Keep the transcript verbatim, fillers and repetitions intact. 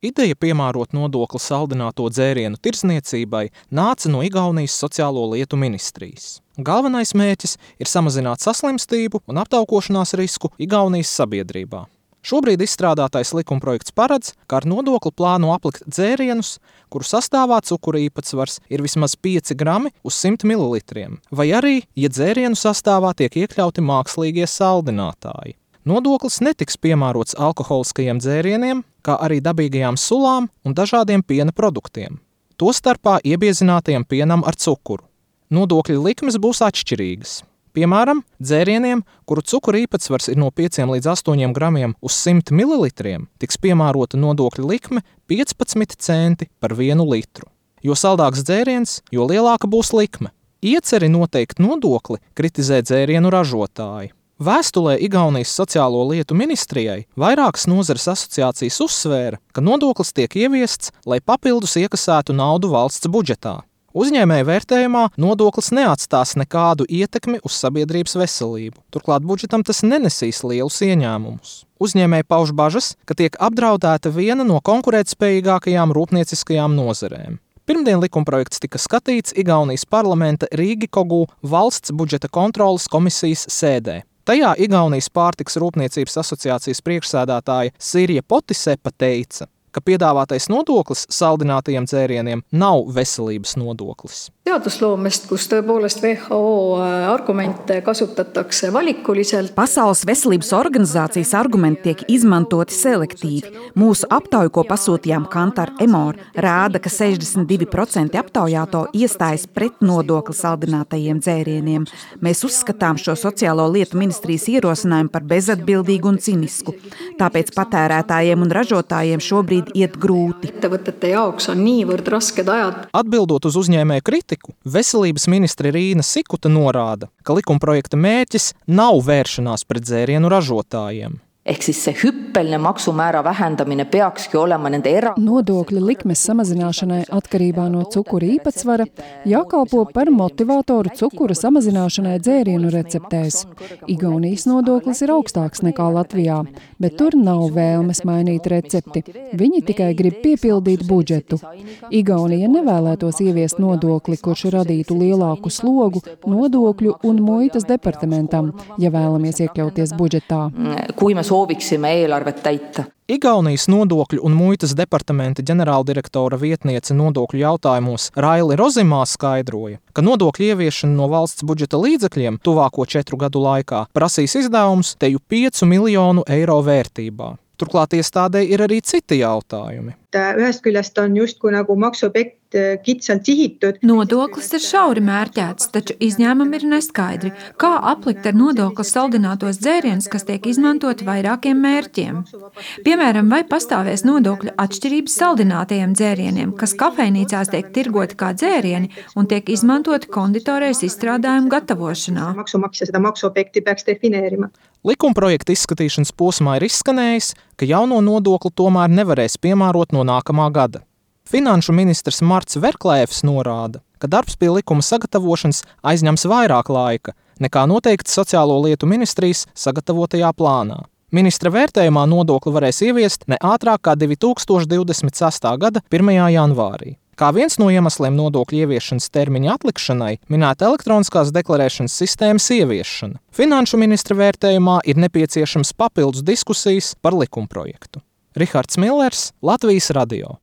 Ideja piemērot nodokli saldināto dzērienu tirdzniecībai nāca no Igaunijas sociālo lietu ministrijas. Galvenais mērķis ir samazināt saslimstību un aptaukošanās risku Igaunijas sabiedrībā. Šobrīd izstrādātais likumprojekts paredz, ka ar nodokli plāno aplikt dzērienus, kuru sastāvā cukura īpatsvars ir vismaz pieci grami uz simt mililitriem, vai arī, ja dzērienu sastāvā tiek iekļauti mākslīgie saldinātāji. Nodoklis netiks piemērots alkoholiskajiem dzērieniem, kā arī dabīgajām sulām un dažādiem piena produktiem, tostarpā iebiezinātajiem pienam ar cukuru. Nodokļu likmes būs atšķirīgas. Piemēram, dzērieniem, kuru cukura īpatsvars ir no pieciem līdz astoņiem gramiem uz simt mililitriem, tiks piemērota nodokļu likme piecpadsmit centi par vienu litru. Jo saldāks dzēriens, jo lielāka būs likme. Ieceri noteikt nodokli kritizē dzērienu ražotāji. Vēstulē Igaunijas sociālo lietu ministrijai vairākas nozares asociācijas uzsvēra, ka nodoklis tiek ieviests, lai papildus iekasētu naudu valsts budžetā. Uzņēmēju vērtējumā nodoklis neatstās nekādu ietekmi uz sabiedrības veselību. Turklāt budžetam tas nenesīs lielus ieņēmumus. Uzņēmēji pauž bažas, ka tiek apdraudēta viena no konkurētspējīgākajām rūpnieciskajām nozarēm. Pirmdien likumprojekts tika skatīts Igaunijas parlamenta Rīgikogu valsts budžeta kontroles komisijas sēdē. Tajā Igaunijas pārtikas rūpniecības asociācijas priekšsēdētāja Sirja Potisepa teica, ka piedāvātais nodoklis saldinātajiem dzērieniem nav veselības nodoklis. Teadusloomest, kus tõepoolest W H O argumente kasutatakse valikuliselt. Pasaules veselības organizācijas argumenti tiek izmantoti selektīvi. Mūsu aptauja, ko pasūtījām Kantar Emor, rāda, ka sešdesmit divi procenti aptaujāto iestājas pret nodokli saldinātajiem dzērieniem. Mēs uzskatām šo sociālo lietu ministrijas ierosinājumu par bezatbildīgu un cinisku. Tāpēc patērētājiem un ražotājiem šobrīd iet grūti. Ettevõtete jaoks on niivõrd rasked ajad. Atbildot uz uzņēmēju kritiku, veselības ministre Rīna Sikuta norāda, ka likumprojekta mērķis nav vēršanās pret dzērienu ražotājiem. Ehk siis see hüppeline maksumäära vähendamine peakski olema nende era... Nodokļu likmes samazināšanai atkarībā no cukura īpatsvara jākalpo par motivātoru cukura samazināšanai dzērienu receptēs. Igaunijas nodoklis ir augstāks nekā Latvijā, bet tur nav vēlmes mainīt recepti. Viņi tikai grib piepildīt budžetu. Igaunija nevēlētos ieviest nodokli, kurš radītu lielāku slogu nodokļu un muitas departamentam, ja vēlamies iekļauties budžetā. Kui me sooviksime eelarvet täita. Igaunijas nodokļu un muitas departamenta ģenerāldirektora vietniece nodokļu jautājumos Raili Rozimā skaidroja, ka nodokļu ieviešana no valsts budžeta līdzekļiem tuvāko četru gadu laikā prasīs izdevumus teju piecu miljonu eiro vērtībā. Turklāt iestādē ir arī citi jautājumi. Ühest küljest on justkui nagu maksuobjekt kitsalt sihitud. Nodoklis ir šauri mērķēts, taču izņēmumi ir neskaidri. Kā aplikt ar nodokli saldinātos dzērienus, kas tiek izmantoti vairākiem mērķiem? Piemēram, vai pastāvēs nodokļu atšķirības saldinātajiem dzērieniem, kas kafejnīcās tiek tirgoti kā dzērieni un tiek izmantoti konditorejas izstrādājumu gatavošanā? Maksumaksja seda maksuobjekti peaks defineerima. Likumprojekta izskatīšanas posmā ir izskanējis, ka jauno nodokli tomēr nevarēs piemērot no nākamā gada. Finanšu ministrs Marts Verklēvs norāda, ka darbs pie likuma sagatavošanas aizņems vairāk laika, nekā noteikts sociālo lietu ministrijas sagatavotajā plānā. Ministra vērtējumā nodokli varēs ieviest ne ātrāk kā divi tūkstoši divdesmit sestā gada pirmajā janvārī. Kā viens no iemesliem nodokļu ieviešanas termiņa atlikšanai minēta elektroniskās deklarēšanas sistēmas ieviešana. Finanšu ministra vērtējumā ir nepieciešams papildus diskusijas par likumprojektu. Rihards Millers, Latvijas radio.